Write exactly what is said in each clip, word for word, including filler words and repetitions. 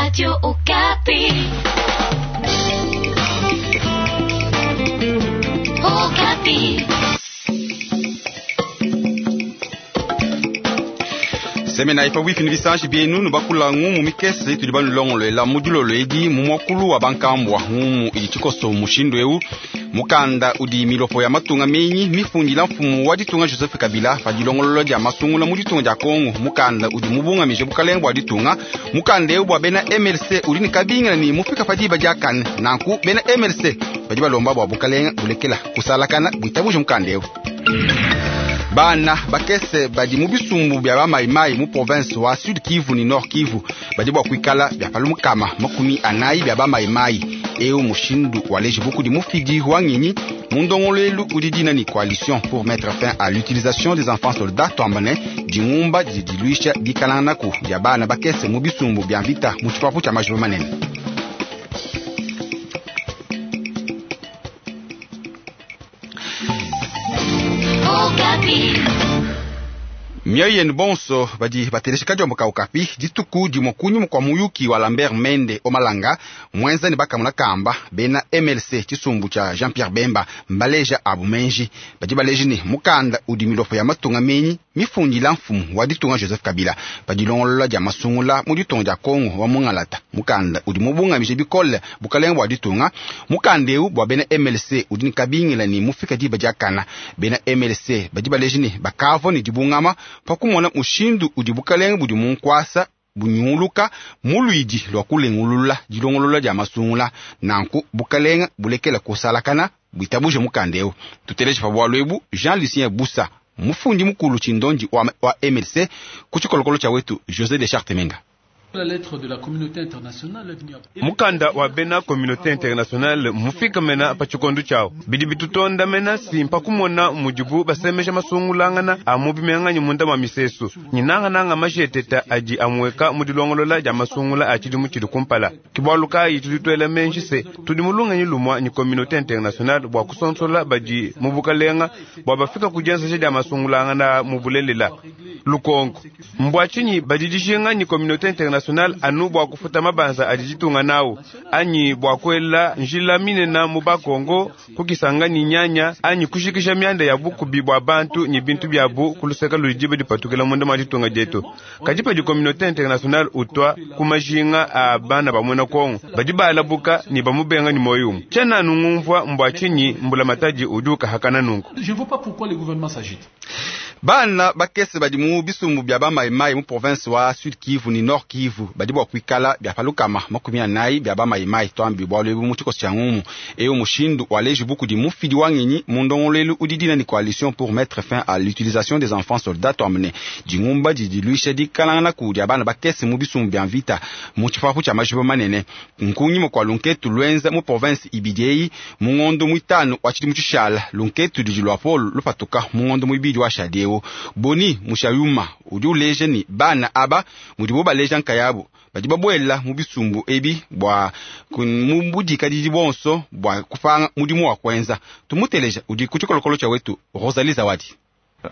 Radio Okapi. Okapi. Semena ifa wifi ni bisanji bienu nubakula ngumu mikese tudi banulongoloela mu dilolo edi mu muakulu wa bankambwa ngumu idi tshikoso mushindu eu mukanda udi milopo ya matunga menyi mifundila mfumu wa ditunga Joseph Kabila pa dilongolola dia masungula mu ditunga dia Kongo. Mukanda udi mubungamije bukalenga bua ditunga. Mukanda eu bua bena M L C udi ne kabingila ni mufika pa diba diakane. Nanku bena M L C badi balomba bua bukalenga bulekela kusalakana buitabuje mukanda eu. Bana bakese badi mu bisumbu bya bamayimayi mu province wa Sud Kivu ni Nord Kivu badi bua kuikala bya palumukama makumi anayi bya bamayimayi. Eu mushindu waleji bukudi mufidi wa ngenyi mu ndongoluelu udi dina ni coalition pour mettre fin à l'utilisation des enfants soldats twambane dingumba didi diluisha dikalanganaku dia bana bakese mu bisumbu bya mvita mu tshipapu tshia majiba manene. Mioyo yenu bonso badi batelesha kadiombo ka Okapi dituku dimue kunyima kua muyuki wa Lambert Mende Omalanga mwenza ne bakamuna kamba bena M L C tshisumbu tshia Jean-Pierre Bemba mbaleja abu menji badi baleji ne mukanda udi milopo ya matunga menyi mifundila mfumu wa ditunga Joseph Kabila padilongolola dia masungula mu ditunga dia Kongo wa mungalata. Mukanda udi mubungamije bikole bukalenga bua ditunga. Mukanda eu bua bena M L C udi ne kabingila ne mufika diba diakana. Bena M L C badi baleji ne bakavua ne dibungama pakumona mushindu udi bukalenga budi munkwasa bunyunguluka muluidi lwa kulengulula dilongolola dia masungula. Nanku bukalenga bulekela kusalakana buitabuje mukanda eu. Tuteleje pa bwalu ebu Jean-Lucien Bussa mufundi mukulu tshindondi wa, wa M L C ku tshikolokolo tshia wetu José de Charte Menga. Mukanda wa bena communauté internationale mufika mena pa tshikondu tshiawo bidi bitutonda mena simpa kumona mudibu basemesha masungulangana a mu bimenganyi munda mwa misesu nyinangananga masheteta adi amweka mu dilongolola dia masungula a tshidimu tshidi kumpala. Kibwalu kayi tudi tuela menji se tudi mulunganyi lumwa ni communauté internationale bua kusonsola badi mu bukalenga bua bafika ku dienzesha dia masungulangana mu bulelela. Lukonko mbwa tshinyi badi dijinga ni communauté internationale anu bua kufuta mabanza adi ditunga nawo anyi bua kuela njila minena mu bakongo kukisanga ni nyanya anyi kushikisha mianda ya bukubi bua bantu ni bintu byabu kuluseka ludi dipatukila munda mwa ditunga dietu. Kadi padi communauté internationale utwa ku majinga a bana ba muena Kongo badi balabuka ni bamubenga ni moyo umwe. Tshiena nungumvua mbwa tshinyi mbula matadi udi ukahakana nunku. Je ne vois pas pourquoi le gouvernement s'agite. Bana bakese badi mu bisumbu bya bamayimayi mu province wa Sud Kivu ni Nord Kivu badi bua kuikala bya palukama makumi anayi bya bamayimayi twambi bwalu ebu mu tshikoso tshia ngumu. Eu mushindu waleji bukudi mufidi wa ngenyi mu ndongoluelu udi dina ni coalition pour mettre fin à l'utilisation des enfants soldats twamene dingumba didi diluisha dikalangana ku dia bana bakese mu bisumbu bya mvita mu tshipapu tshia majiba manene. Nkunyima kua lunketu lwenza mu province ibidi eyi mu ngondo muitanu wa tshidimu tshishala lunketu didi lua polo lupatuka mu ngondo muibidi wa shadi eu. Boni Mushayuma udi uleja ni bana aba mudibo baleja nkayabu badi babuela mu bisumbu ebi bua mu budikadidi bonso bua kupanga mudimu wa kuenza. Tumuteleja udi ku tshikolokolo tshia wetu Rosalie Zawadi.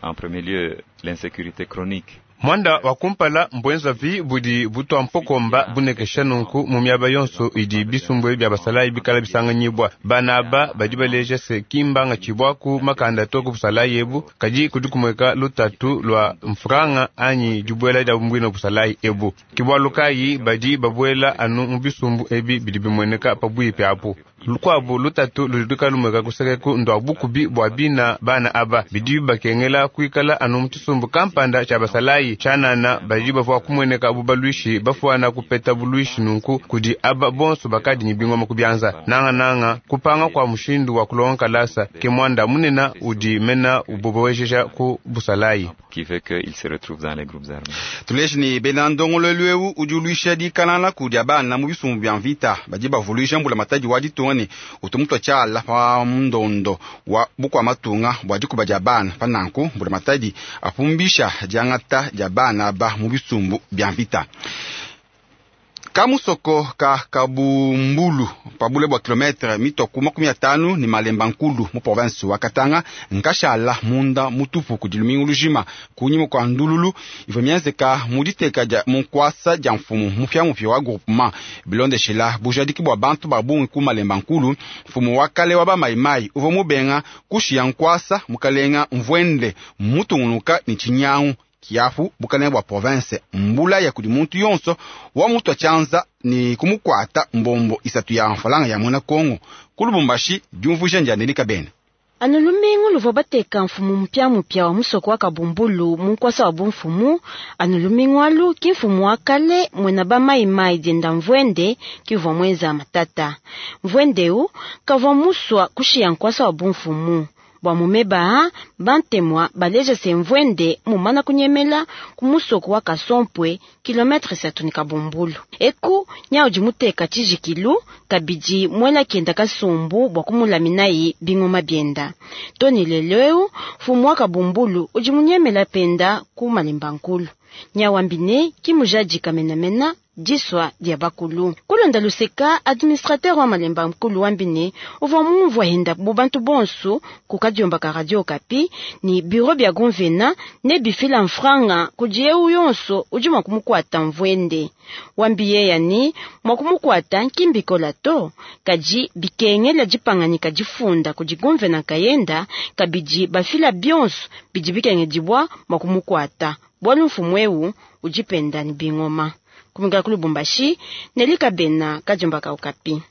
En premier lieu, l'insécurité chronique. Mwanda wa kumpala mbwenza vi budi butwa mpokomba bunekesha nunku mu miaba yonso idi bisumbu bya basalayi bikala bisanganyibwa. Bana aba badi baleja se kimbanga tshibwaku makanda to ku busalayi ebu kadi kudi kumweka lutatu lwa mfranga anyi dibuela dia mbwino busalayi ebu. Kibwalu kayi badi babuela anu mu bisumbu ebi bidi bimweneka pabwipi apu. Lukwabu lutatu ludi lumweka kusekeku ndwa bukubi bwa bina bana aba bidi bakengela kuikala anu mu tshisumbu kampanda tshia basalayi tshanana badi bavua kumweneka bu balwishi bafuana kupeta bulwishi nunku kudi aba bonso bakadi ni bingoma kubyanza. Nanga nanga kupanga kwa mushindu wa kulonga kalasa ke mwanda munena udi mena ubobowesha ku busalayi. Qui fait qu'il se retrouve dans les groupes armés. Tuleji ni bena ndongolelu eu udi uluisha dikalana ku dia bana mu bisumbu bya mvita badi bavuluisha mbula matadi wa ditunga ne utumutwa tshiala pa ndondo wa bukwa matunga bua dikuba dia bana pa nanku mbula matadi apumbisha diangata dia bana ba mu bisumbu bya mvita. Kamusoko ka Kabumbulu pabule bua kilometre mitoku makumi atanu ni Malemba Nkulu mu province wa Katanga nkashala munda mutupu kudi lumingu lujima kunyima kwa ndululu ivua mienzeka mu diteka dia munkwasa dia mfumu mupya wa groupement bilondeshela bujadiki bua bantu ba bungi ku Malemba Nkulu. Mfumu wa kale wa bamaimai uvua mubenga kushiya nkwasa mukalenga mvwende mutungunuka ni chinyangu kiafu bukalenga bua province mbula ya kudi muntu yonso wa mutu achanza ni kumukwata mbombo isatu ya mfalanga ya mwana Kongo kulubumbashi diumvuja ndianelika bene. Anu lumingu luvua bateka mfumu mpya mupya wa musoko wa Kabumbulu munkwasa wa bumfumu. Anu lumingu alu ki mfumu wa kale mwena ba maimai dienda mvwende kivua mwenza matata. Mvwendeu kavua muswa kushiya nkwasa wa bumfumu bwa mumeba bantemwa baleja se mvwende mumana kunyemela kumusoko wa Kasompwe kilometre satu ni Kabumbulu. Eku nyaudi muteka chijikilu kabidi mwela kenda kasumbu bwa kumulaminayi bingoma bienda. Toni leleu fumu wa Kabumbulu udi munyemela penda ku Malemba Nkulu. Nyawambine kimujaji kamenamena diswa dia bakulu. Kulonda luseka administrateur wa Malemba Nkulu wambine uvua mumvua henda bubantu bonso kukadiomba ka radio Kapi ni bureau bya gonvena ne bifila mfranga kudieu yonso udi mwa kumukwata mvwende. Wambiye yani mwa kumukwata nkimbikola to kaji bikengela dipanganyika difunda kudi gonvena kayenda kabidi bafila bionso bidi bikengedibwa mwa kumukwata. Bwalu mfumu eu ujipenda ni bingoma. Kuminga kulubumbashi nelika bena kajumba ka Okapi.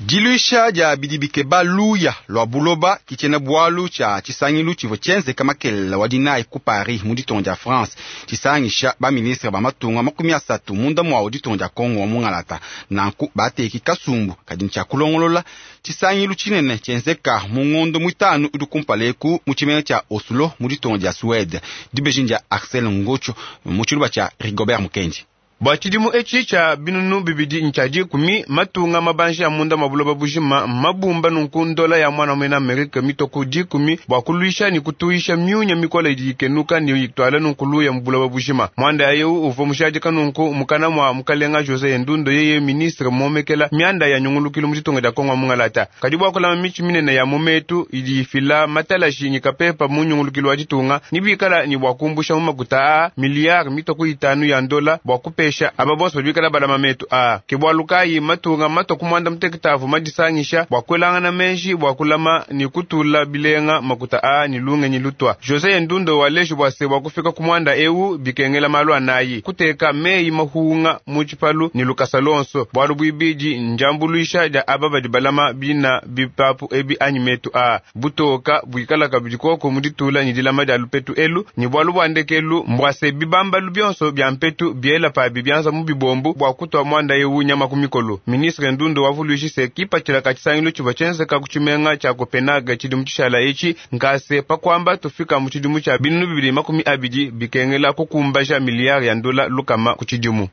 Diluisha dia bidibike baluya lwa buloba kichena bwalu cha chisangilu chivo chenze kama kelela wa dinai ku Paris mu ditongo dia France chisangisha ba ministre ba matunga makumi asatu munda mwa ditongo dia Kongo wa mungalata nanku bateki kasumbu kadi ncha kulongolola chisangilu chinene chenzeka mu ngondo mwitanu udi kumpaleku mu chimene cha Oslo mu ditongo dia Suède dibeji dia Axel Ngocho mu chiluba cha Rigobert Mukendi. Bwa chidimu echi cha binunu bibidi nchaji kumi matunga mabanje ya munda mabuloba bujima mabumba nunku ndola ya mwana mwena Amerika mitoko dikumi bwa kuluisha ni kutuisha myunya mikola idikenuka ni itwala nunku ya mbuloba bujima mwanda yeu uvo mushadika nunku mukana mwa mukalenga Jose Ndundo yeye ministre momekela mianda ya nyungulukilo muchitunga dia Kongo mungalata kadi bwa kulama michi minene ya mumetu idifila matalashi nyikapepa mu nyungulukilo wa chitunga nibikala ni bwa kumbusha mumakuta a miliard mitoko itanu ya ndola bwa kupesha aba bonso bikala balama metu a kibwalukayi matunga mato kumwanda muteketavu madisangisha bwa kwelangana menji bwa kulama ni kutula bilenga makuta a ni lunge ni lutwa Jose Ndundo waleshi bwase bwa kufika kumwanda eu bikengela malu anayi kuteka meyi mahunga muchipalu ni lukasa lonso bwalu bwibiji njambuluisha ja aba badi balama bina bipapu ebi anyi metu a butoka bwikala kabidikoko muditula ni dilama dia lupetu elu ni bwalu bwandekelu mbwase bibambalu bionso bya mpetu biela pabi byanza mu bibombu bwa kutwa mwanda yewu nyama kumikolo. Ministre Ndundo wavuluishise kipatshila ka tshisangilu tshivua tshienzeka ku tshimenga tshia Copenhague tshidimu tshishala etshi nkase pakwamba tufika mu tshidimu tshia binunu bibili makumi abidi bikengela kukumbaja miliyari ya ndola lukama ku tshidimu.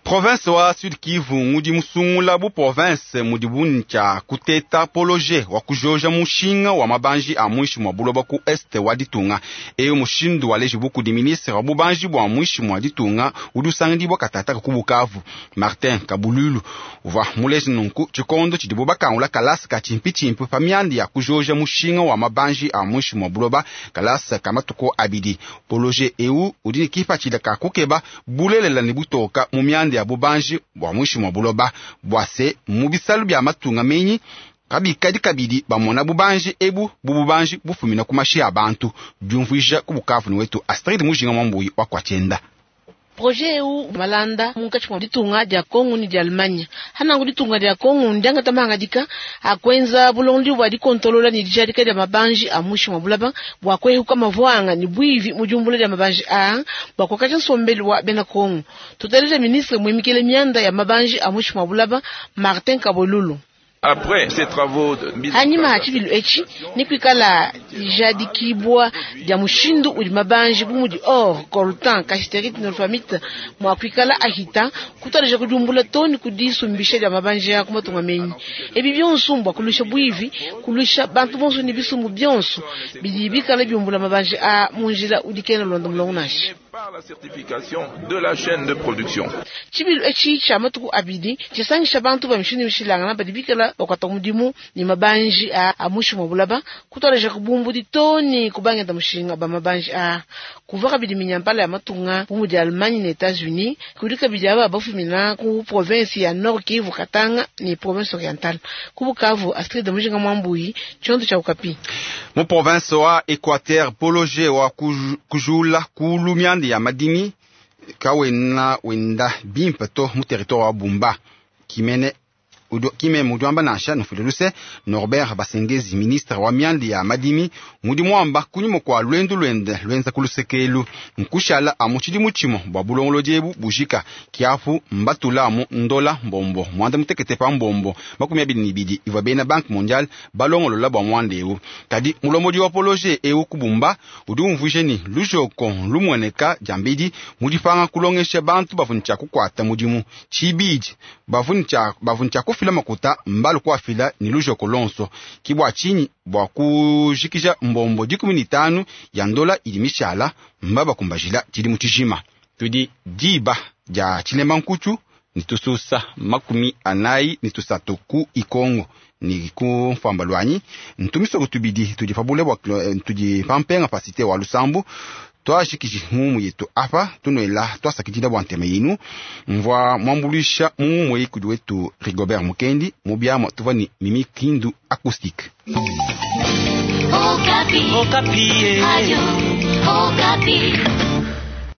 Province wa Sud Kivu ngudi musungula bu province mudi buncha kuteta poloje wa kujoja mushinga wa mabanji a mwishi mwa buloba ku este wa ditunga eyo mushindu wa leji buku di ministre wa bubanji bwa mwishi mwa ditunga udi usangidibwa katata ku Bukavu Martin Kabululu uva muleji nunku tshikondo tshidi bubakangula kalasa ka chimpi-chimpi pa mianda ya kujoja mushinga wa mabanji a mwishi mwa buloba kalasa ka matuku abidi poloje eu udi ni kipatshila ka kukeba bulelela ni butoka mu mianda ya bubanji bwa mwishi mwa buloba bwase mu bisalu bya matunga menyi kabikadi kabidi bamona bubanji ebu bububanji bufumina ku mashi ya bantu diumvuija ku Bukavu ni wetu Astrid Mujinga Mwambuyi wa kwachenda. Projet eu malanda munkatshi mwa ditunga dia Kongo ni dia Allemagne hanangu ditunga dia Kongo ndianga tamanga dika akwenza bulondi bwa dikontolola ni dijadika dia mabanji a mushi mwa bulaba bwa kwehuka mavwanga ni bwivi mujumbula dia mabanji a bwa kwakacha nsombeli wa bena Kongo. Tutaleja ministre mwimikele mianda ya mabanji a mushi mwa bulaba Martin Kabolulu. Après ces travaux de mise en hanyuma place, hachibilu echi nikwikala jadikibwa dia mushindu udi mabanji bumudi or coltan cassiterite nolfamite mwa kwikala ahita kutaleja kujumbula toni kudisumbisha dia mabanji ya kumatunga menyi ebi byonso mbwa kulusha bwivi kulusha bantu bonso ni bisumbu byonso bidi bikala byumbula mabanji a munjila udikena londa mulongo nashi. par la certification de la chaîne de production. Tshibilu etshi tshia matuku abidi tshisangisha bantu ba mishindu mishilangana badi bikala bakuata mudimu ne mabanji a a muinshi mua bulaba kutualeja kubumbudi too ne kubangenda mushinga ba mabanji a kuva kabidi minyampala ya matunga bu mudi Allemagne ne Etats-Unis kudi kabidi aba bafumina ku province ya Nord Kivu Katanga ne province orientale ku Bukavu Astrid Mujinga Mwambuyi tshiondo tshia Okapi. Mu province wa Equateur poloje wa kujula kulu mianda ya madimi kawena wenda bimpe to mu territoire wa Bumba kimene kime mudiwamba nansha nufile luse Norbert Basengezi ministre wa mianda ya madimi mudi mwamba kunyuma kwa lwendu lwende lwenza kulusekelu nkushala amu tshidimu tshimo bua bulongolodi ebu bujika kiapu mbatula amu ndola mbombo mwanda mutekete pa mbombo makumi abidi ne ibidi ivua bena Banque mondiale balongolola bua mwanda ewu kadi mulombodi wa poloje ewu kubumba udi umvuije ni lujoko lumueneka diambedi mudipanga kulongesha bantu bavuni tshia kukuata mudimu tshibidi bavuni tshia bavuni tshia kufila makuta mbalu kuafila ni lujoko lonso kibwa chinyi bwa kujikija mbombo dikumi ni tanu ya ndola idi mishala mbaba kumbajila tshidi mutshijima tudi diba dia tshilema nkuchu ni tususa makumi anayi ni tusatu ku ikongo ni ku mfamba lwanyi ntumisoko tubidi tudi pabule bwa tudi pampenga pasite wa lusambu twashikiji mumu yetu apa tunoela twasakidila bwa ntema yinu mvwa mwambulisha mumu mweyikudi wetu Rigobert Mukendi mubiamwa tuva ni Mimi Kindu acoustique. Okapi. Okapi. Radio Okapi.